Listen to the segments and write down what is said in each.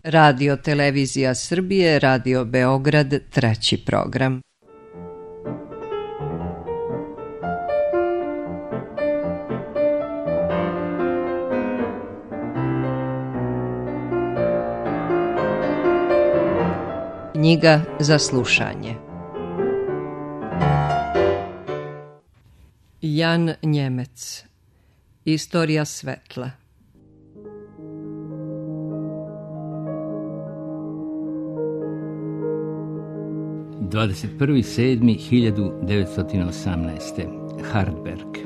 Radio Televizija Srbije, Radio Beograd, treći program. Knjiga za slušanje. Jan Njemec. Istorija svetla. – 21.7.1918. Hardberg.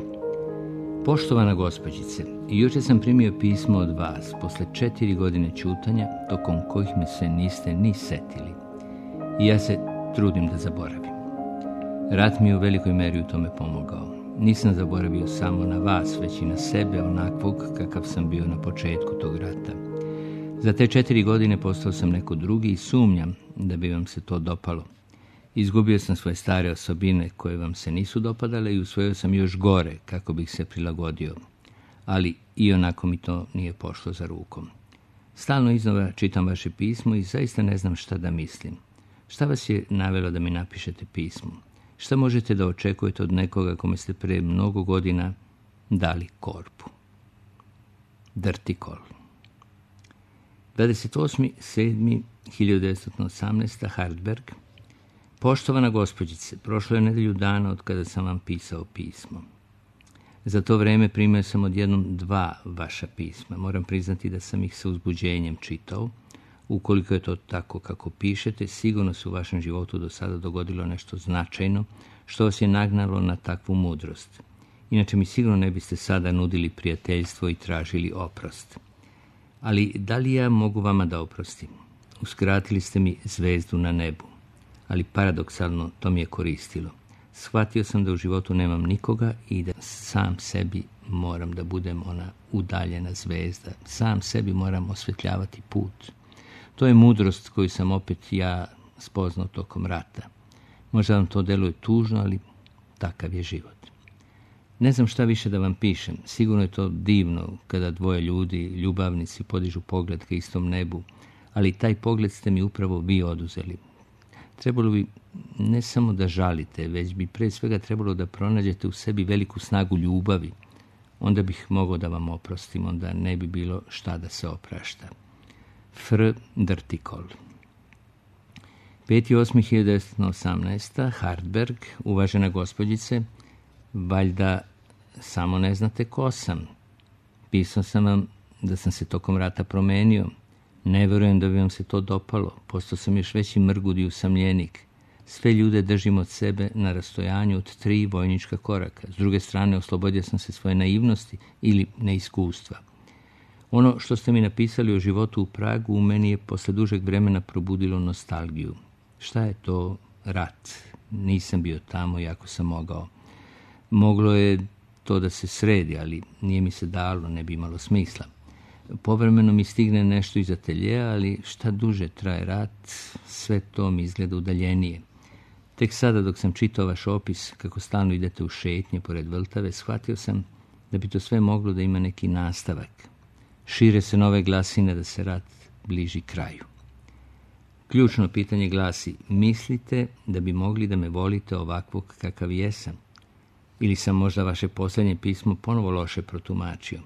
Poštovana gospođice, jučer sam primio pismo od vas posle 4 godine ćutanja, tokom kojih me se niste ni setili. I ja se trudim da zaboravim. Rat mi je u velikoj meri u tome pomogao. Nisam zaboravio samo na vas, već i na sebe, onakvog kakav sam bio na početku tog rata. Za te 4 godine postao sam neko drugi i sumnjam da bi vam se to dopalo. Izgubio sam svoje stare osobine koje vam se nisu dopadale i usvojio sam još gore kako bih se prilagodio. Ali i onako mi to nije pošlo za rukom. Stalno iznova čitam vaše pismo i zaista ne znam šta da mislim. Šta vas je navelo da mi napišete pismo? Šta možete da očekujete od nekoga kome ste pre mnogo godina dali korpu? Drtikol. 28.7.1918. Hardberg. Poštovana gospođice, prošlo je nedelju dana od kada sam vam pisao pismo. Za to vreme primio sam odjednom 2 vaša pisma. Moram priznati da sam ih sa uzbuđenjem čitao. Ukoliko je to tako kako pišete, sigurno se u vašem životu do sada dogodilo nešto značajno što vas je nagnalo na takvu mudrost. Inače mi sigurno ne biste sada nudili prijateljstvo i tražili oprost. Ali da li ja mogu vama da oprostim? Uskratili ste mi zvezdu na nebu. Ali paradoksalno to mi je koristilo. Shvatio sam da u životu nemam nikoga i da sam sebi moram da budem ona udaljena zvezda. Sam sebi moram osvetljavati put. To je mudrost koju sam opet ja spoznao tokom rata. Možda vam to deluje tužno, ali takav je život. Ne znam šta više da vam pišem. Sigurno je to divno kada 2 ljudi, ljubavnici, podižu pogled ka istom nebu, ali taj pogled ste mi upravo vi oduzeli. Trebalo bi ne samo da žalite, već bi pre svega trebalo da pronađete u sebi veliku snagu ljubavi. Onda bih mogao da vam oprostim, onda ne bi bilo šta da se oprašta. Fr. Drtikol. 5.8.1918. Hardberg. Uvažena gospođice, valjda samo ne znate ko sam. Pisao sam vam da sam se tokom rata promenio. Ne verujem da bi vam se to dopalo. Postao sam još veći mrgud i usamljenik. Sve ljude držim od sebe na rastojanju od 3 vojnička koraka. S druge strane, oslobodio sam se svoje naivnosti ili neiskustva. Ono što ste mi napisali o životu u Pragu u meni je posle dužeg vremena probudilo nostalgiju. Šta je to rat? Nisam bio tamo iako sam mogao. Moglo je to da se sredi, ali nije mi se dalo, ne bi imalo smisla. Povremeno mi stigne nešto iz ateljeja, ali šta duže traje rat, sve to mi izgleda udaljenije. Tek sada dok sam čitao vaš opis kako stalno idete u šetnje pored Vltave, shvatio sam da bi to sve moglo da ima neki nastavak. Šire se nove glasine da se rat bliži kraju. Ključno pitanje glasi, mislite da bi mogli da me volite ovakvog kakav jesam? Ili sam možda vaše posljednje pismo ponovo loše protumačio?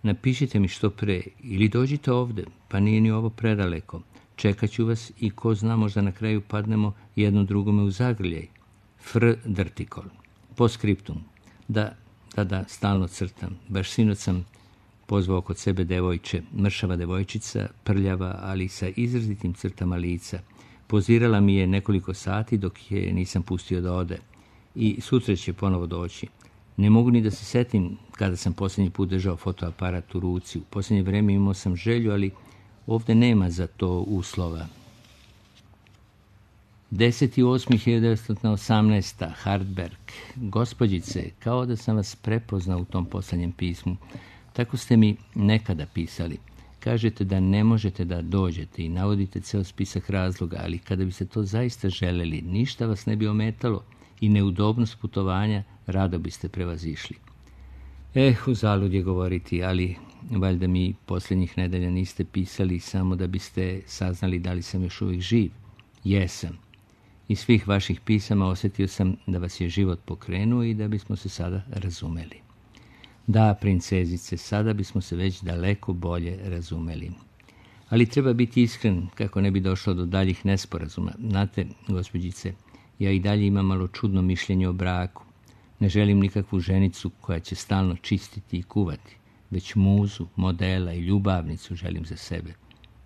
Napišite mi što pre ili dođite ovde, pa nije ni ovo predaleko. Čekat ću vas i ko zna, možda na kraju padnemo jedno drugome u zagrljaj. Fr. Drtikol. Postscriptum. Da, stalno crtam. Baš sinoć sam pozvao kod sebe devojče, mršava devojčica, prljava, ali sa izrazitim crtama lica. Pozirala mi je nekoliko sati dok je nisam pustio da ode. I sutra će ponovo doći. Ne mogu ni da se setim kada sam posljednji put držao fotoaparat u ruci. U posljednje vreme imao sam želju, ali ovde nema za to uslova. 10.8.1918. Hardberg. Gospođice, kao da sam vas prepoznao u tom posljednjem pismu. Tako ste mi nekada pisali. Kažete da ne možete da dođete i navodite ceo spisak razloga, ali kada biste to zaista želeli, ništa vas ne bi ometalo i neudobnost putovanja rado biste prevazišli. Uzalud je govoriti, ali valjda mi posljednjih nedelja niste pisali samo da biste saznali da li sam još uvijek živ. Jesam. Iz svih vaših pisama osjetio sam da vas je život pokrenuo i da bismo se sada razumeli. Da, princezice, sada bismo se već daleko bolje razumeli. Ali treba biti iskren kako ne bi došlo do daljih nesporazuma. Znate, gospođice, ja i dalje imam malo čudno mišljenje o braku. Ne želim nikakvu ženicu koja će stalno čistiti i kuvati, već muzu, modela i ljubavnicu želim za sebe.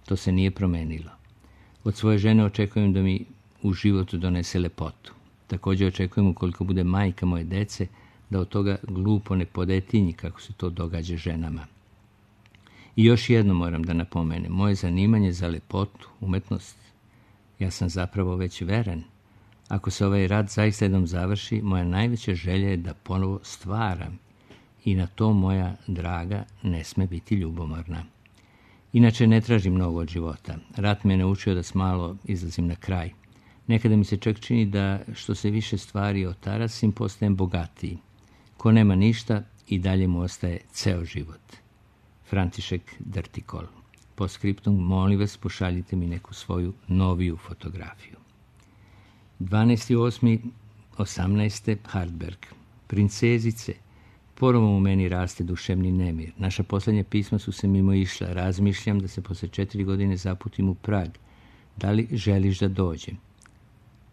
To se nije promenilo. Od svoje žene očekujem da mi u životu donese lepotu. Također očekujem, ukoliko bude majka moje dece, da od toga glupo ne podetinji kako se to događa ženama. I još jedno moram da napomenem, moje zanimanje za lepotu, umetnost, ja sam zapravo već veren. Ako se ovaj rat zaista jednom završi, moja najveća želja je da ponovo stvaram i na to moja draga ne sme biti ljubomorna. Inače ne tražim mnogo od života. Rat me naučio da s malo izlazim na kraj. Nekada mi se čak čini da što se više stvari otarasim, postajem bogatiji. Ko nema ništa i dalje mu ostaje ceo život. František Drtikol. Po skriptum, molim vas, pošaljite mi neku svoju noviju fotografiju. 12.8.18. Hartberg. Princezice, ponovo u meni raste duševni nemir. Naša posljednja pisma su se mimo išla. Razmišljam da se posle 4 godine zaputim u Prag. Da li želiš da dođem?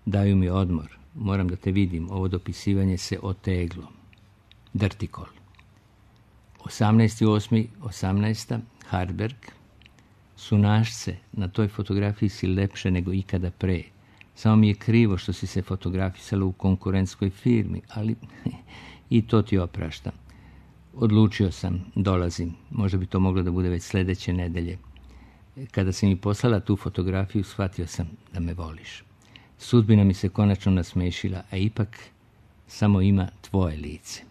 Daju mi odmor. Moram da te vidim. Ovo dopisivanje se oteglo. Drtikol. 18.8.18. Hartberg. Sunašce, na toj fotografiji si lepše nego ikada pre. Samo mi je krivo što si se fotografisala u konkurentskoj firmi, ali i to ti opraštam. Odlučio sam, dolazim. Možda bi to moglo da bude već sljedeće nedelje. Kada si mi poslala tu fotografiju, shvatio sam da me voliš. Sudbina mi se konačno nasmešila, a ipak samo ima tvoje lice.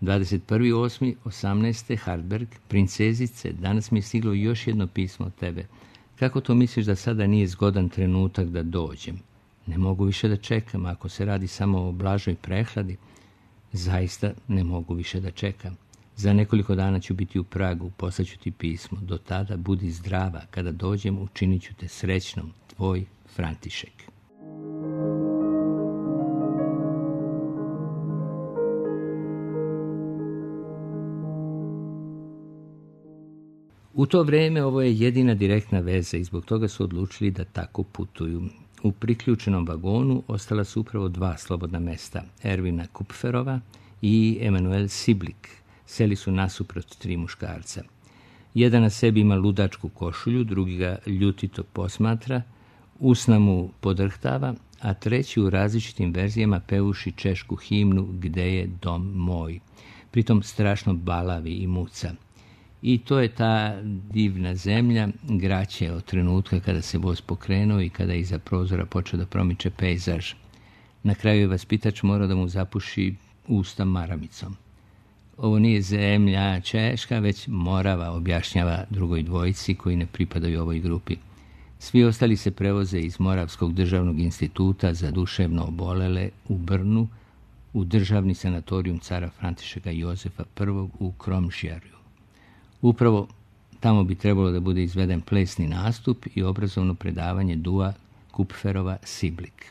21.8.18. Hartberg. Princezice, danas mi je stiglo još jedno pismo od tebe. Kako to misliš da sada nije zgodan trenutak da dođem? Ne mogu više da čekam, ako se radi samo o blažoj prehladi. Zaista ne mogu više da čekam. Za nekoliko dana ću biti u Pragu, poslaću ti pismo. Do tada budi zdrava, kada dođem učinit ću te srećnom. Tvoj František. U to vrijeme ovo je jedina direktna veza i zbog toga su odlučili da tako putuju. U priključenom vagonu ostala su upravo 2 slobodna mesta, Ervina Kupferova i Emanuel Siblik. Seli su nasuprot 3 muškarca. Jedan na sebi ima ludačku košulju, drugi ga ljutito posmatra, usna mu podrhtava, a treći u različitim verzijama pevuši češku himnu Gde je dom moj. Pritom strašno balavi i muca. I to je ta divna zemlja, graće od trenutka kada se voz pokrenuo i kada iza prozora počeo da promiče pejzaž. Na kraju je vaspitač morao da mu zapuši usta maramicom. Ovo nije zemlja Češka, već Morava, objašnjava drugoj dvojici koji ne pripadaju ovoj grupi. Svi ostali se prevoze iz Moravskog državnog instituta za duševno obolele u Brnu, u državni sanatorijum cara Františeka Jozefa I u Kromžjarju. Upravo tamo bi trebalo da bude izveden plesni nastup i obrazovno predavanje Dua Kupferova Siblik.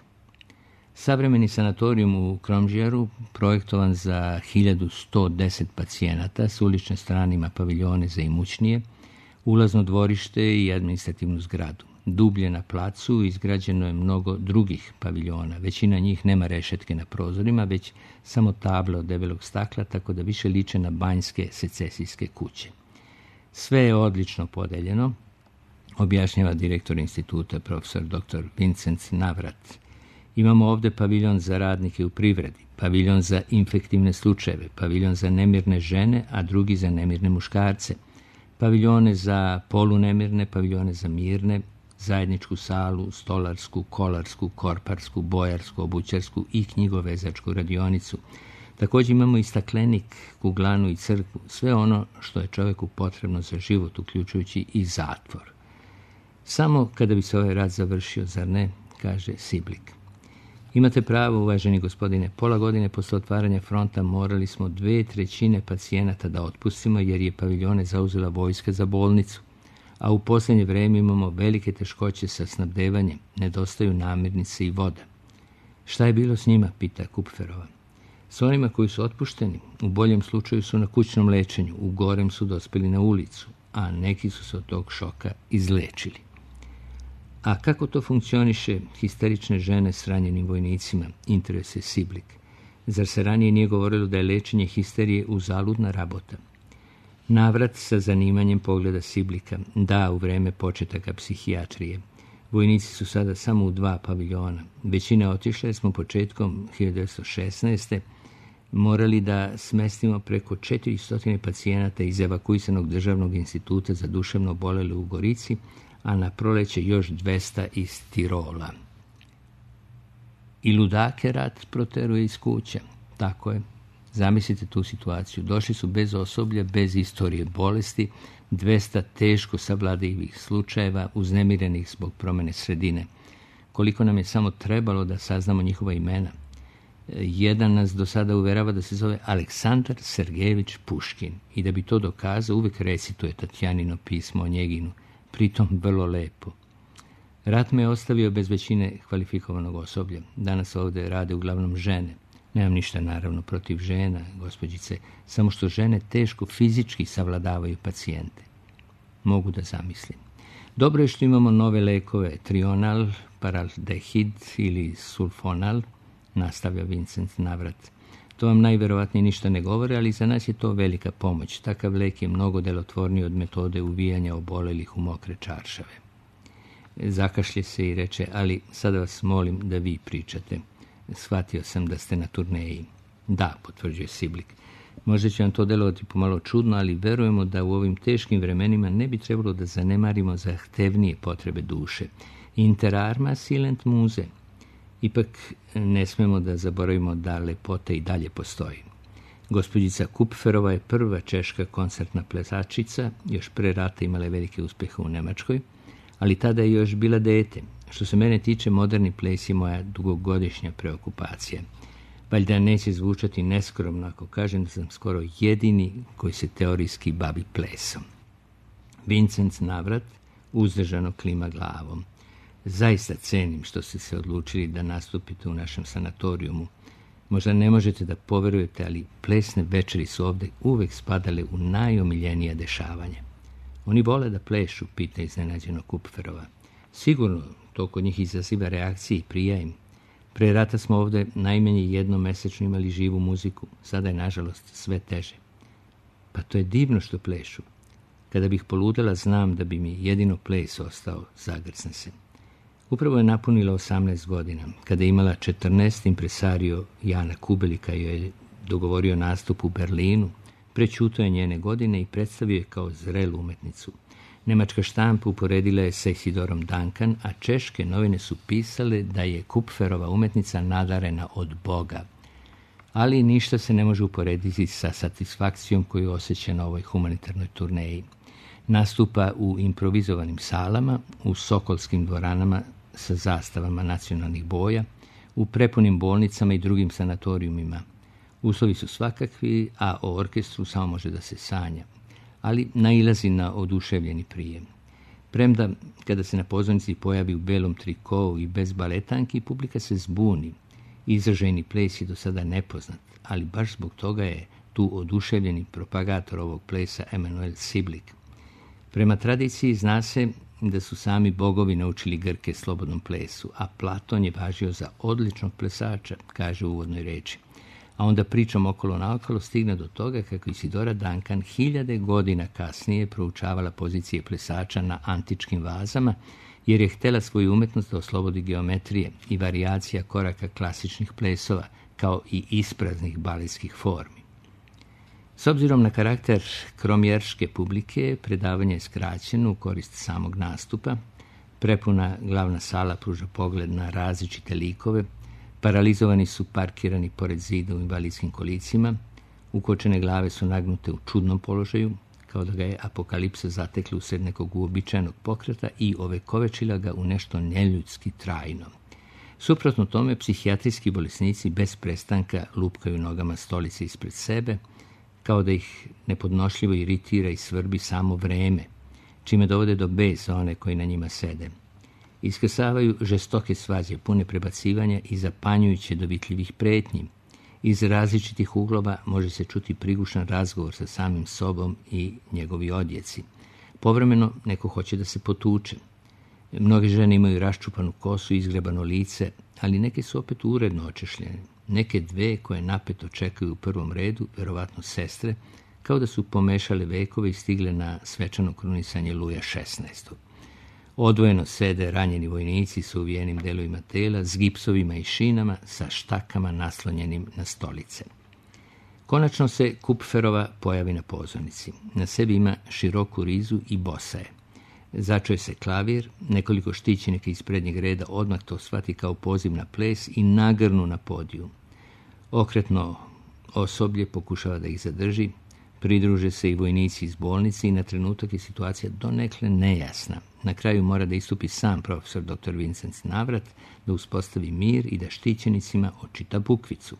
Savremeni sanatorijum u Kromžjaru, projektovan za 1110 pacijenata, s ulične strane ima paviljone za imućnije, ulazno dvorište i administrativnu zgradu. Dublje na placu izgrađeno je mnogo drugih paviljona. Većina njih nema rešetke na prozorima, već samo table od debelog stakla, tako da više liče na banjske secesijske kuće. Sve je odlično podeljeno, objašnjava direktor instituta, profesor dr. Vincent Navrat. Imamo ovdje paviljon za radnike u privredi, paviljon za infektivne slučajeve, paviljon za nemirne žene, a drugi za nemirne muškarce, paviljone za polunemirne, paviljone za mirne, zajedničku salu, stolarsku, kolarsku, korparsku, bojarsku, obućarsku i knjigovezačku radionicu. Također imamo i staklenik, kuglanu i crkvu, sve ono što je čovjeku potrebno za život, uključujući i zatvor. Samo kada bi se ovaj rat završio, zar ne, kaže Siblik. Imate pravo, uvaženi gospodine, pola godine posle otvaranja fronta morali smo 2/3 pacijenata da otpustimo jer je paviljone zauzela vojska za bolnicu, a u posljednje vreme imamo velike teškoće sa snabdevanjem, nedostaju namirnice i voda. Šta je bilo s njima, pita Kupferova. S onima koji su otpušteni, u boljem slučaju su na kućnom lečenju, u gorem su dospeli na ulicu, a neki su se od tog šoka izlečili. A kako to funkcioniše histerične žene s ranjenim vojnicima, interesuje Siblik. Zar se ranije nije govorilo da je lečenje histerije uzaludna rabota? Navrat sa zanimanjem pogleda Siblika. Da, u vreme početaka psihijatrije. Vojnici su sada samo u 2 paviljona. Većina otišla jer smo početkom 1916. morali da smestimo preko 400 pacijenata iz evakuisanog državnog instituta za duševno obolele u Gorici, a na proleće još 200 iz Tirola. I ludake rat proteruje iz kuća. Tako je. Zamislite tu situaciju. Došli su bez osoblja, bez istorije bolesti, 200 teško savladivih slučajeva, uznemirenih zbog promjene sredine. Koliko nam je samo trebalo da saznamo njihova imena. Jedan nas do sada uverava da se zove Aleksandar Sergejević Puškin i da bi to dokazao uvijek recituje Tatjanino pismo o Njeginu, pritom vrlo lepo. Rat me je ostavio bez većine kvalifikovanog osoblja. Danas ovdje rade uglavnom žene. Nemam ništa naravno protiv žena, gospođice, samo što žene teško fizički savladavaju pacijente. Mogu da zamislim. Dobro je što imamo nove lekove, trional, paraldehid ili sulfonal, nastavlja Vincent Navrat. To vam najverovatnije ništa ne govore, ali za nas je to velika pomoć. Takav lek je mnogo delotvorniji od metode uvijanja obolelih u mokre čaršave. Zakašlje se i reče, ali sada vas molim da vi pričate. Shvatio sam da ste na turneji. Da, potvrđuje Siblik. Možda će vam to delovati pomalo čudno, ali verujemo da u ovim teškim vremenima ne bi trebalo da zanemarimo zahtevnije potrebe duše. Inter arma silent muse. Ipak ne smemo da zaboravimo da lepota i dalje postoji. Gospođica Kupferova je prva češka koncertna plesačica, još pre rata imala je velike uspehe u Nemačkoj, ali tada je još bila dete. Što se mene tiče, moderni ples je moja dugogodišnja preokupacija. Valjda neće zvučati neskromno ako kažem da sam skoro jedini koji se teorijski bavi plesom. Vincent Navrat uzdržano klima glavom. Zaista cenim što ste se odlučili da nastupite u našem sanatorijumu. Možda ne možete da poverujete, ali plesne večeri su ovdje uvek spadale u najomiljenija dešavanja. Oni vole da plešu, pita iznenađeno Kupferova. Sigurno, to kod njih izaziva reakcije i prija im. Pre rata smo ovdje najmanje jednom mesečno imali živu muziku, sada je nažalost sve teže. Pa to je divno što plešu. Kada bih poludela, znam da bi mi jedino ples ostao, zagrsne se. Upravo je napunila 18 godina. Kada je imala 14, impresario Jana Kubelika joj je dogovorio nastup u Berlinu, prećutao je njene godine i predstavio je kao zrelu umetnicu. Nemačka štampa uporedila je sa Isidorom Duncan, a češke novine su pisale da je Kupferova umetnica nadarena od Boga. Ali ništa se ne može uporediti sa satisfakcijom koju osjeća na ovoj humanitarnoj turneji. Nastupa u improvizovanim salama, u sokolskim dvoranama sa zastavama nacionalnih boja, u prepunim bolnicama i drugim sanatorijumima. Uslovi su svakakvi, a o orkestru samo može da se sanja, ali nailazi na oduševljeni prijem. Premda, kada se na pozornici pojavi u belom trikovu i bez baletanki, publika se zbuni. Izražajni ples je do sada nepoznat, ali baš zbog toga je tu oduševljeni propagator ovog plesa Emanuel Siblik. Prema tradiciji zna se da su sami bogovi naučili Grke slobodnom plesu, a Platon je važio za odličnog plesača, kaže u uvodnoj reči. A onda pričom okolo naokolo stigne do toga kako Isidora Duncan 1000 godina kasnije proučavala pozicije plesača na antičkim vazama, jer je htjela svoju umetnost da oslobodi geometrije i varijacija koraka klasičnih plesova, kao i ispraznih baletskih formi. S obzirom na karakter kromjerške publike, predavanje je skraćeno u korist samog nastupa. Prepuna glavna sala pruža pogled na različite likove, paralizovani su parkirani pored zida u invalidskim kolicima, ukočene glave su nagnute u čudnom položaju, kao da ga je apokalipsa zatekla usred nekog uobičajenog pokreta i ovekovečila ga u nešto neljudski trajno. Suprotno tome, psihijatrijski bolesnici bez prestanka lupkaju nogama stolice ispred sebe, kao da ih nepodnošljivo iritira i svrbi samo vreme, čime dovode do besa one koji na njima sede. Iskrsavaju žestoke svađe, pune prebacivanja i zapanjujuće dovitljivih pretnji. Iz različitih uglova može se čuti prigušan razgovor sa samim sobom i njegovi odjeci. Povremeno neko hoće da se potuče. Mnoge žene imaju raščupanu kosu i izgrebano lice, ali neke su opet uredno očešljene. Neke dve koje napeto čekaju u prvom redu, verovatno sestre, kao da su pomešale vekove i stigle na svečano krunisanje Luja XVI. Odvojeno sede ranjeni vojnici sa uvijenim delovima tela, s gipsovima i šinama, sa štakama naslonjenim na stolice. Konačno se Kupferova pojavi na pozornici. Na sebi ima široku rizu i bosa je. Začuje se klavir, nekoliko štićenika iz prednjeg reda odmah to shvati kao poziv na ples i nagrnu na podijum. Okretno osoblje pokušava da ih zadrži, pridruže se i vojnici iz bolnice i na trenutak je situacija donekle nejasna. Na kraju mora da istupi sam profesor dr. Vincent Navrat, da uspostavi mir i da štićenicima očita bukvicu.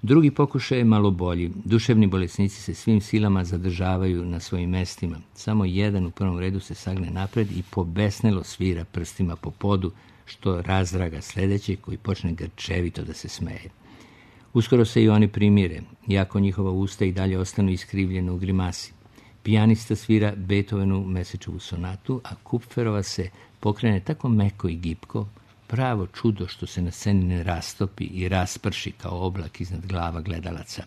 Drugi pokušaj je malo bolji. Duševni bolesnici se svim silama zadržavaju na svojim mestima. Samo jedan u prvom redu se sagne napred i pobesnelo svira prstima po podu, što razdraga sledeće koji počne grčevito da se smeje. Uskoro se i oni primire, iako njihova usta i dalje ostanu iskrivljena u grimasi. Pijanista svira Beethovenu Mesečevu sonatu, a Kupferova se pokrene tako meko i gipko, pravo čudo što se na sceni ne rastopi i rasprši kao oblak iznad glava gledalaca.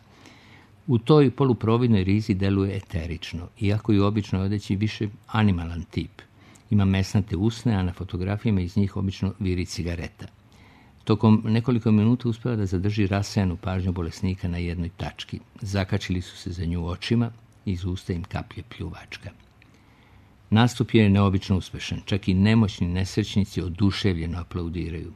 U toj poluprovidnoj rizi deluje eterično, iako i u običnoj odeći više animalan tip. Ima mesnate usne, a na fotografijama iz njih obično viri cigareta. Tokom nekoliko minuta uspeva da zadrži rasejanu pažnju bolesnika na jednoj tački. Zakačili su se za nju očima, iz usta im kaplje pljuvačka. Nastup je neobično uspešan, čak i nemoćni nesrećnici oduševljeno aplaudiraju.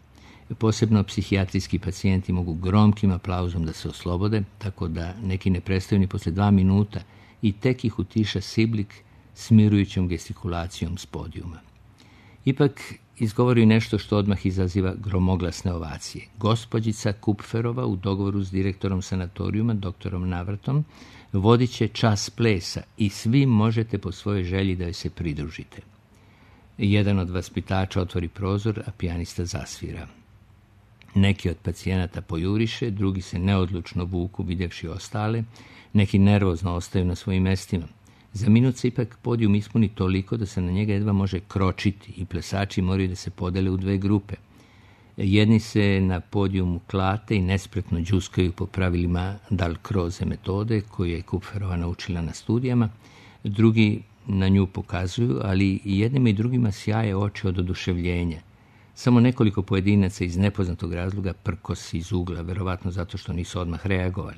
Posebno psihijatrijski pacijenti mogu gromkim aplauzom da se oslobode, tako da neki ne prestaju ni posle 2 minuta i tek ih utiša Siblik smirujućom gestikulacijom s podijuma. Ipak izgovori nešto što odmah izaziva gromoglasne ovacije. Gospođica Kupferova u dogovoru s direktorom sanatorijuma, doktorom Navratom, vodit će čas plesa i svi možete po svojoj želji da joj se pridružite. Jedan od vaspitača otvori prozor, a pijanista zasvira. Neki od pacijenata pojuriše, drugi se neodlučno vuku vidjevši ostale, neki nervozno ostaju na svojim mestima. Za minut se ipak podijum ispuni toliko da se na njega jedva može kročiti i plesači moraju da se podele u 2 grupe. Jedni se na podijumu klate i nespretno đuskaju po pravilima Dalcroze metode koju je Kupferova naučila na studijama, drugi na nju pokazuju, ali i jednima i drugima sjaje oči od oduševljenja. Samo nekoliko pojedinaca iz nepoznatog razloga prkosi iz ugla, verovatno zato što nisu odmah reagovali.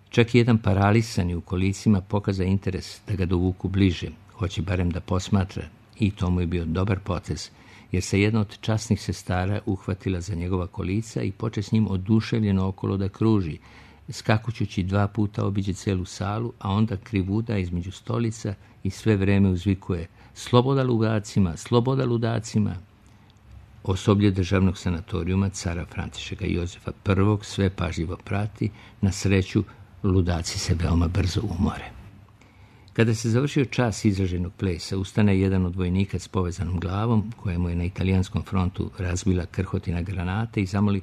Čak i jedan paralisani u kolicima pokaza interes da ga dovuku bliže, hoće barem da posmatra, i to mu je bio dobar potez, jer se jedna od časnih sestara uhvatila za njegova kolica i poče s njim oduševljeno okolo da kruži, skakućući 2 puta obiđe celu salu, a onda krivuda između stolica i sve vreme uzvikuje sloboda ludacima, sloboda ludacima. Osoblje državnog sanatorijuma cara Františeka Jozefa I sve pažljivo prati, na sreću ludaci se veoma brzo umore. Kada se završio čas izraženog plesa, ustane jedan od vojnika s povezanom glavom, kojemu je na italijanskom frontu razbila krhotina granate, i zamoli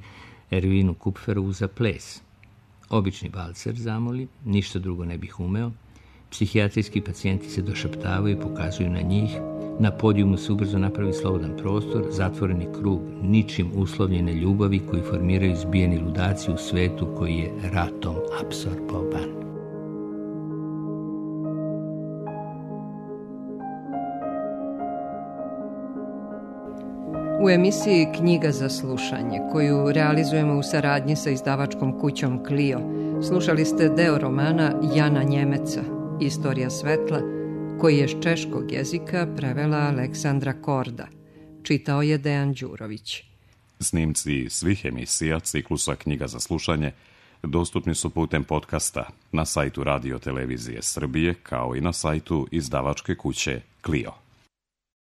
Ervinu Kupferovu za ples. Obični valcer zamoli, ništa drugo ne bih umeo. Psihijatrijski pacijenti se došaptavaju i pokazuju na njih. Na podijumu se ubrzo napravi slobodan prostor, zatvoreni krug ničim uslovljene ljubavi koji formiraju zbijeni ludaci u svetu koji je ratom apsorbovan. U emisiji Knjiga za slušanje, koju realizujemo u saradnji sa izdavačkom kućom Clio, slušali ste deo romana Jana Njemeca, Istorija svetla, koji je s češkog jezika prevela Aleksandra Korda. Čitao je Dejan Đurović. Snimci svih emisija ciklusa Knjiga za slušanje dostupni su putem podcasta na sajtu Radio Televizije Srbije, kao i na sajtu izdavačke kuće Clio.